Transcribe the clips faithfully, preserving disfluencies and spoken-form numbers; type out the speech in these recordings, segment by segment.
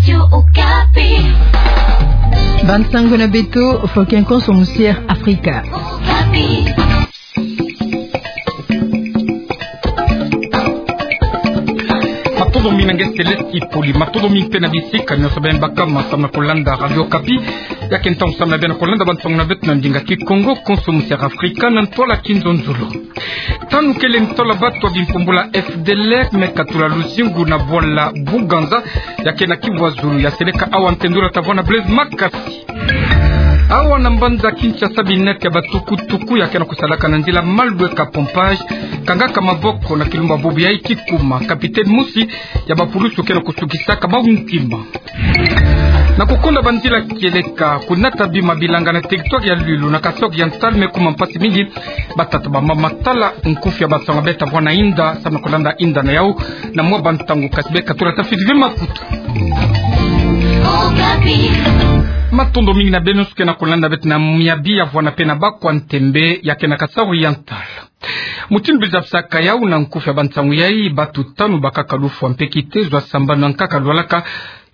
Radio Okapi. Bansango na beto, Fokin Konso Musière Afrika. Okapi. Matondo mingi na nge Céleste Ipoli, matondo mingi mpe na bisika nyonso beno baka ma samu na kolanda Radio Okapi. Ya ke ntangu samu na beno kolanda bansango na beto na ndinga Kikongo, Konso Musière Afrika, na ntwala Kinzonzolo. Tanu kele ntwala batu ya bimpumbulu ya F D L R me katula luzingu na bwala Buganza, ya ke na Kivu ya Zulu, ya seleka awa ntendula tavwanda Blaise Makasi. Awa na mbanza Kinshasa, binete ya batukutuku ya ke na kusalaka na nzila malweka pompage, kangaka maboko na kilumbu bubu yayi kikuma. Capitaine mosi ya bapulusu ke na kusukisaka bau ntima. Na kukonda banzila kieleka, kunata bima bilanga na territoire ya Lwilu na Kasaï Oriental me kuma mpasi mingi. Batata, bamama, tala nkufi ya bansango beno tavwanda inda, samu na kolanda inda na yau na mwa bantangu, kasi beno katula tafiti ve makutu. Matondo mingi na beno nyonso ke na kolanda beto na miabi ya vwanda mpe na bakwa ntembe ya ke na Kasaï Oriental. Mutindu bazabisaka yau na nkufi ya bansango yayi, batu tanu bakaka lufwa mpe kitezo ya sambanu ya nkaka lwalaka,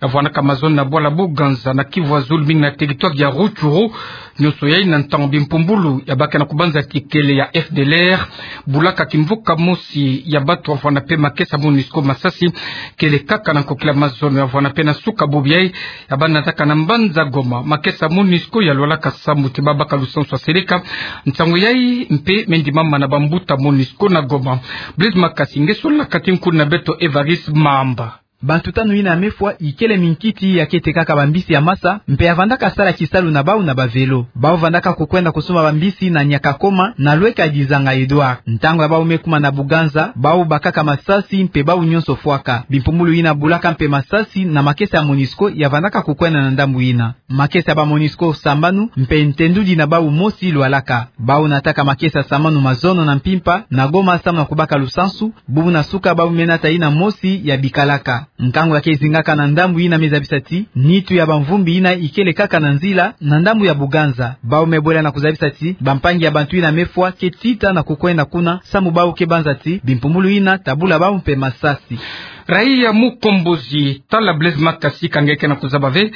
ya vwandaka mazono na bwala Buganza na Kivu ya Zulu, mingi na territoire ya Rutshuru. Nyonso yayi na ntangu bimpumbulu ya ba ke na kubanza ti kele ya F D L R bulaka kimvuka mosi ya batu ya vwanda mpe makesa MONUSCO masasi, kele kaka na nkokila mazono ya vwanda mpe na suka bubu yayi, ya ba nataka na mbanza Goma. Makesa MONUSCO ya lwalaka sambu ti ba baka lusansu ya seleka nsango yayi, mpe me ndimama na bambuta MONUSCO na Goma. Blaise Makasi, nge solaka ti nkulu na beto Evariste Mamba. Bantu tanu yina ya mefwa ikele minkiti ya ke tekaka bambisi ya masa, mpe ya vandaka sala kisalu na bau na ba vélo. Bau vandaka kukwenda kusumba bambisi na Nyakakoma, na lweka Dizanga Edouard. Ntangu ya bau me kuma na Buganza, bau bakaka masasi mpe bau nyonso fwaka. Bimpumbulu yina bulaka mpe masasi na makesa ya MONUSCO ya vandaka kukwenda na ndambu yina. Makesa ya ba MONUSCO sambanu mpe ntendudi na bau mosi lwalaka. Bau nataka makesa sambanu mazono na mpimpa na Goma samu na kubaka lusansu. Bubu na suka bau me nata yina mosi ya bikalaka. Nkangu ya ke zingaka na ndambu yina me zabisa ti nitu ya bamvumbi yina ikele kaka na nzila na ndambu ya Buganza. Bau me bwela na kuzabisa ti bampangi ya bantu yina ya mefwa ke tita na kukwenda kuna, samu bau ke banza ti bimpumbulu yina ta bula bau mpe masasi. Raia mukombozi, tala Blaise Makasi, ka nge ke na kuzaba ve.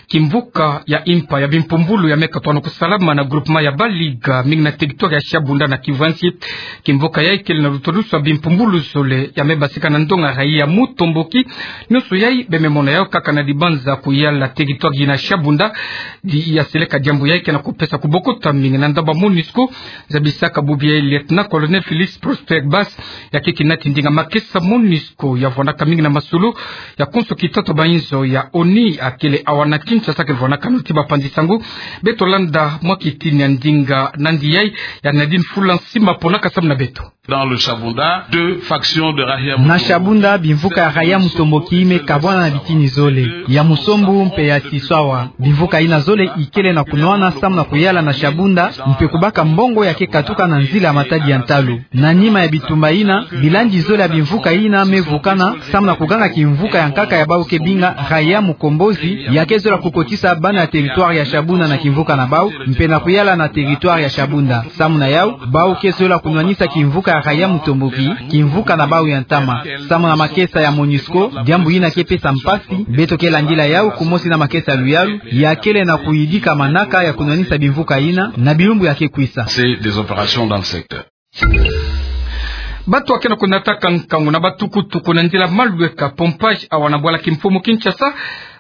Kimvuka ya impa ya bimpumbulu ya me katwana kusalama na groupement ya Baliga, mingi na territoire ya Shabunda na Kivu ya Nsi. Kimvuka yayi kele na lutodusu ya bimpumbulu zole ya me basika na ndonga raia mutomboki. Nyonso yayi beno me mona yau kaka na dibanza kuyala territoire yina Shabunda. Di ya seleka diambu yayi ke na kupesa kubokota mingi na ndambu ya MONUSCO. Zabisaka bubu yayi lieutenant-colonel Félix Prosper Bass, ya ke kinati ndinga makesa MONUSCO ya vwandaka mingi na masolo ya konso kitatoba inzo ya ONU, akele awa na Kinshasa ke vwandaka noti bapanzi sango. Beto landa mwa kitini ya ndinga nandi yayi ya Nadine Fulansi Mapona ka samu na beto. Dans le Shabunda, deux factions de Raia Mutomboki. Na Shabunda, bimvuka ya Raia Mutomboki me kabwana na bitini zole, ya Musombo mpe ya Tiswawa. Bimvuka yina zole ikele na kunwana samu na kuyala na Shabunda, mpe kubaka mbongo ya ke katuka na nzila ya matadi ya ntalu. Na nima ya bitumba yina, bilandi zole ya bimvuka yina me vukana samu na kuganga kimvuka ya nkaka ya bau ke binga Raia Mukombozi, ya ke zola kukotisa bana ya territoire ya Shabunda na kimvuka na bau, mpe na kuyala na territoire ya Shabunda. Samu na yau, bau ke zola kunwanisa kimvuka ya Raia Mutomboki kimvuka na bau ya ntama. Samu na makesa ya MONUSCO, diambu yina ke pesa mpasi. Beto ke landila yau kumosi na makesa ya luyalu ya kele na kuyidika manaka ya kunwanisa bimvuka yina na bilumbu ya ke kwisa. C'est des opérations dans le secteur. Bato ya ke na kunataka nkangu na batukutuku na nzila malweka pompage awa na bwala kimfumu Kinshasa,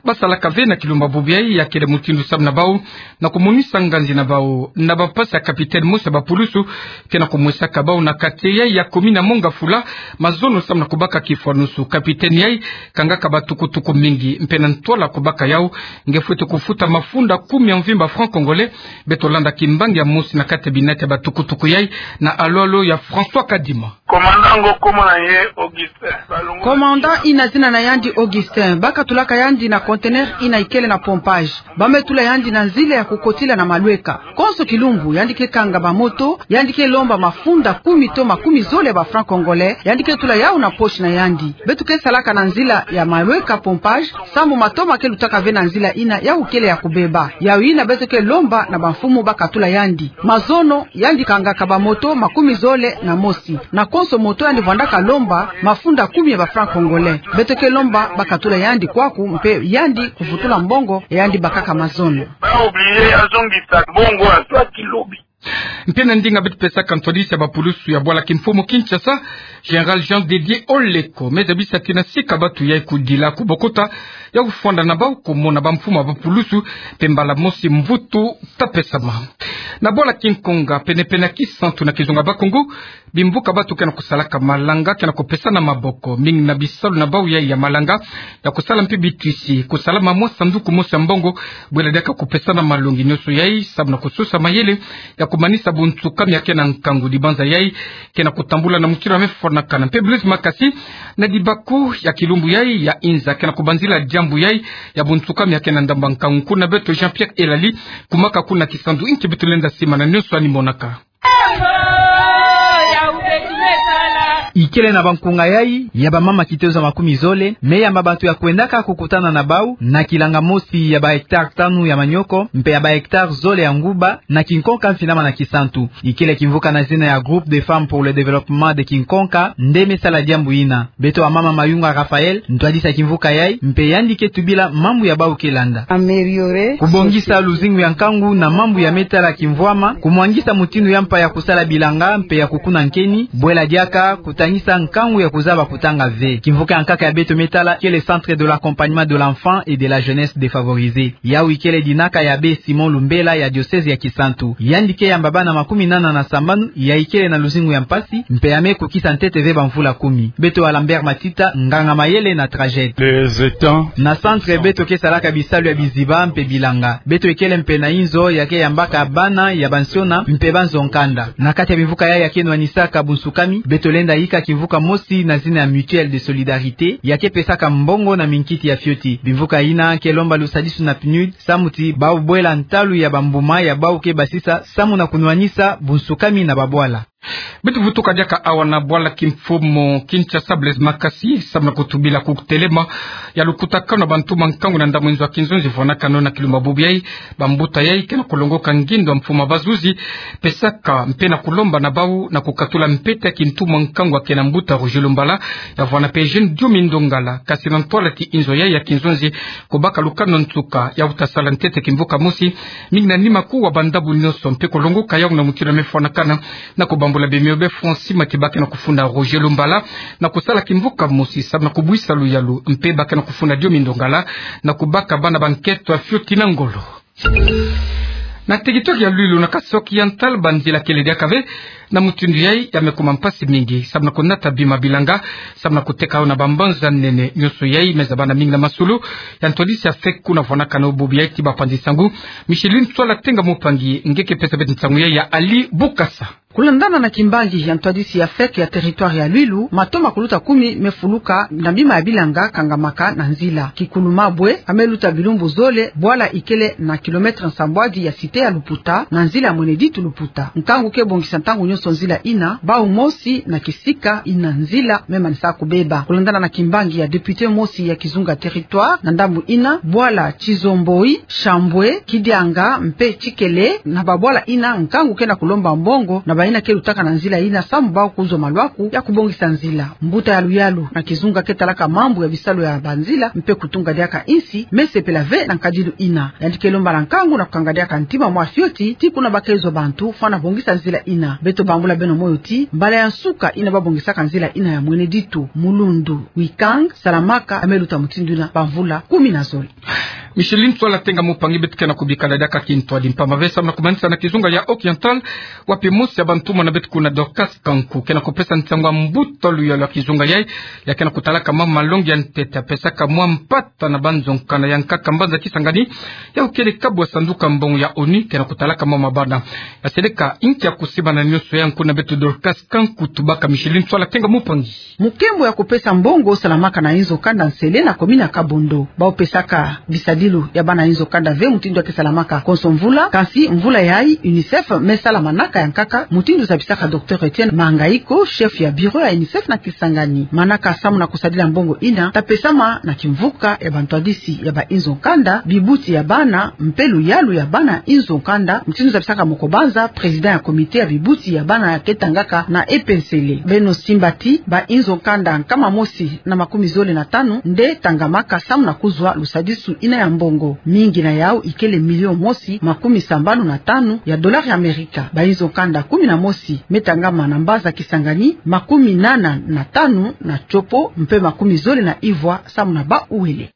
basalaka ve na kilumbu bubu yayi, ya kele mutindu samu na bau na kumonisa nganzi na bau na bampasi ya capitaine mosi ya bapulusu ke na kumwesaka bau na quartier yayi ya commune ya Mont-Ngafula mazono samu na kubaka kifwanusu. Capitaine yayi kangaka batukutuku mingi, mpe na ntwala kubaka yau nge fwete kufuta mafunda kumi ya mvimba francs congolais. Beto landa kimbangi ya mosi na kati ya binati ya batukutuku yayi na alolo ya François Kadima. Commandant, nge kombo na nge Augustin. Commandant yina zina na yandi Augustin. Ba katulaka yandi na conteneur yina ikele na pompage. Ba me tula yandi na nzila ya kukotila na malweka. Konso kilumbu, yandi ke kanga bamoto, yandi ke lomba mafunda kumi to makumi zole ya ba francs congolais, yandi ke tula yau na poche na yandi. Beto ke salaka na nzila ya malweka pompage, sambu matoma ke lutaka ve na nzila yina yau kele ya kubeba. Yau yina beto ke lomba na bamfumu ba katula yandi. Mazono, yandi kangaka bamoto makumi zole na mosi. Na konso moto yandi vwandaka lomba mafunda kumi ya ba francs congolais. Beto ke lomba ba katula yandi kwaku mpe yandi kuvutula mbongo, yandi bakaka mazono. Ba oublier, azongisa mbongo, azwaki lobi. Mpe na ndinga beto pesaka ntwadisi ya bapulusu ya bwala kimfumu Kinshasa, Général Jean de Dieu Oleko, me zabisa ti na sika batu yai kudila kubokota, ya kufwanda na bau kumona bamfumu ya bapulusu, mpe mbala mosi mvutu ta pesama. Na bwala Kinkonga, penepene ya Kisantu na kizunga Bakongo, bimvuka batu ke na kusalaka malanga ke na kupesana maboko, mingi na bisalu na bau yai ya malanga, ya kusala mpe bitwisi, kusalama mwa sanduku mosi ya mbongo, bwela diaka kupesana malongi nyonso yai, samu na kusosa mayele ya kumanisa bunsukami ya ke na nkangu. Dibanza yai ke na kutambula na mutindu ya me fwanakana. Mpe Blaise Makasi, na dibaku ya kilumbu yai ya inza, ke na kubanzila diambu yai ya bunsukami ya ke na ndambu ya nkangu. Kuna beto Jean-Pierre Elali, kumaka kuna Kisantu, nki beto lenda simana, nyonso yandi monaka. Ikele na bankunga yai ya bamama kitezo makumi zole, me yamba bantu ya kwendaka kukutana na bau na kilanga mosi ya ba hectare tanu ya manioko, mpe ya ba hectare zole ya nguba, na Kinkonka mfinama na Kisantu. Ikele kimvuka na zina ya Groupe des Femmes pour le Développement de Kinkonka nde me sala diambu yina. Beto wa mama Mayunga Raphaël, ntwadisi ya kimvuka yai, mpe yandi ke tubila mambu ya bau ke landa. Améliorer. Kubongisa luzingu ya nkangu na mambu ya me tala kimvwama, kumwangisa mutindu ya mpa ya kusala bilanga, mpe ya kukuna nkeni, bwela diaka kutanisa nkangu ya kuzaba kutanga ve. Kimvuka ya nkaka ya beto me tala kele Centre de l'accompagnement de l'enfant et de la jeunesse défavorisée. Yau ikele dinaka ya abbé Simon Lumbela ya diocèse ya Kisantu. Yandi ke yamba bana makumi nana na sambanu ya ikele na luzingu ya mpasi, mpe ya me kukisa ntete ve bamvula kumi. Beto wa Lambert Matita, nganga mayele na Traged. Les étangs. Na centre beto ke salaka bisalu ya biziba mpe bilanga. Beto ikele mpe na inzo ya ke yambaka bana ya bansiona mpe banzo nkanda. Na kati ya bimvuka yai ya ke nwanisaka bunsukami, beto lenda yika kimvuka mosi na zina ya Mutuelle de Solidarité, ya ke pesaka mbongo na minkiti ya fioti. Bimvuka yina ke lomba lusadisu na PNUD, samu ti ba bwela ntalu ya bambuma ya bau ke basisa, samu na kunwanisa bunsukami na babwala. Beto vutuka diaka awa na bwala kimfumu Kinshasa, Blaise Makasi, samu na kutubila kutelema ya lukutakanu ya bantu ya nkangu na ndambu ya nzo ya kinzonzi fwanakano na kilumbu bubu yai. Bambuta yai ke na kulongoka ngindo ya mfumu ya bazuzi, pesaka mpe na kulomba na bau na kukatula mpete ya kintu ya nkangu ya ke na mbuta Roger Lumbala, ya vwanda mpe Eugène Diomi Ndongala, kasi na ntwala ti inzo yai ya kinzonzi kubaka lukanu nsuka ya kuta sala ntete kimvuka mosi, mingi na nima kuu wa bandambu nyonso, mpe kulongoka yau na mutindu ya me fwanakana, na kubambula bemio be Francis Matiba ke na kufunda Roger Lumbala, na kusala kimvuka mosi, samu na kubwisa luyalu, mpe ba ke na kufunda Diomi Ndongala, na kubaka bana ba nkento ya fioti na ngolo. Na territoire ya Lwilu na Kasaï Oriental, banzila kele diaka ve, na mutindu yai ya me kuma mpasi mingi, samu na kunata bima bilanga, samu na kuteka yau na bambanza nene, nyonso yai me zabana mingi na masolo ya ntwadisi ya FEC kuna fwanakano bubu yai. Ti bapanzi nsangu, Micheline Tswala Tenga Mupangi nge ke pesa beto nsangu yai ya Ali Bukasa. Kulandana na kimbangi ya ntwadisi ya FEC ya territoire ya Lwilu, matoma kuluta kumi me fuluka na bima ya bilanga kangamaka na nzila. Kikulumabwe, ka me luta bilumbu zole, bwala ikele na kilomètre nsambwadi ya cité ya Luputa, na nzila ya Mwene Ditu Luputa. Nkangu ke bongisa ntangu nyonso nzila yina, bau mosi na kisika yina nzila me manisa kubeba. Kulandana na kimbangi ya député mosi ya kizunga territoire, na ndambu yina, bwala Tizomboi, Shambwe, Kidianga, mpe Tikele, na babwala yina nkangu ke na kulomba mbongo na bayina ke lutaka na nzila yina, samu bau kuzwa malwaku ya kubongisa nzila. Mbuta ya luyalu na kizunga ke talaka mambu ya bisalu ya banzila mpe kutunga diaka insi, me sepela ve na nkadilu yina. Yandi ke lomba na nkangu na kukanga diaka ntima mwa fioti, ti kuna ba ke zwa bantu fwana bongisa nzila yina. Beto bambula beno moyo ti, mbala ya nsuka yina ba bongisaka nzila yina ya Mwene Ditu, Mulundu, Wikang, Salamaka, ka me luta mutindu yina bamvula kumi na zole. Micheline Tswala Tenga Mupangi. Beto ke na kubika diaka kintwadi mpamba ve samu na kumanisa na kizunga ya Oriental, wapi mosi ya bantumwa na beto kuna, Dorcas Kanku, ke na kupesa nsangu ya mbuta luyalu ya kizunga yai, ya ke na kutalaka mwa malongi ya ntete, pesaka mwa mpata na banzo nkanda ya nkaka mbanza Kisangani, yau kele kabu ya sanduku ya mbongo ya ONU ke na kutalaka mwa mabana. Ya seleka inki ya kusiba na nyonso yai? Kuna beto Dorcas Kanku, tubaka Micheline Tswala Tenga Mupangi. Mukembo ya kupesa mbongo salamaka na inzo kanda nsele na commune ya Kabondo. Bau pesaka bisadi Kisalu ya bana inzo kanda ve mutindu ya ke salamaka konso mvula, kansi mvula yayi UNICEF me sala manaka ya nkaka, mutindu zabisaka Docteur Etienne Mangaiko, chef ya bureau ya UNICEF na Kisangani. Manaka samu na kusadila mbongo ina ta pesama na kimvuka ya bantwadisi ya ba inzo kanda, bibuti ya bana, mpe luyalu ya bana inzo kanda, mutindu zabisaka Mokobanza, président ya comité ya bibuti ya bana ya ke tangaka na epensele. Beno simba ti ba inzo kanda nkama mosi na makumi zole na tanu nde tangamaka samu na kuzwa lusadisu ina ya mbongo. Mingi na yau ikele million mosi makumi sambanu na tanu ya dollar ya Amerika. Ba inzo kanda kumi na mosi me tangama na mbanza Kisangani, makumi nana na tanu na Tshopo, mpe makumi zole na ivwa samu na Bas-Uele.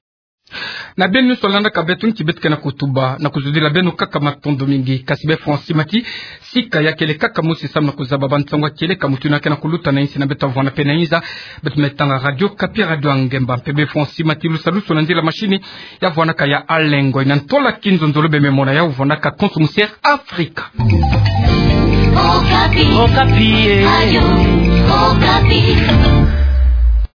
Na beno nyonso landaka beto, nki beto ke na kutuba na kuzudila beno kaka matondo mingi. Kasi bê Francis Mati, sika ya kele kaka mosi samu na kuzaba bansangu ya kieleka mutindu ke na kuluta na insi na beto, vwanda mpe na inza. Beto me tanga Radio Okapi, radio ya ngemba. Mpe bê Francis Mati, lusalusu na nzila mashini ya vwanaka ya Alain Ngoy. Na ntola kinzonzolo bê me mona yau vwanaka konso musi Air Afrika. Okapi. Okapi, eh. Radio Okapi.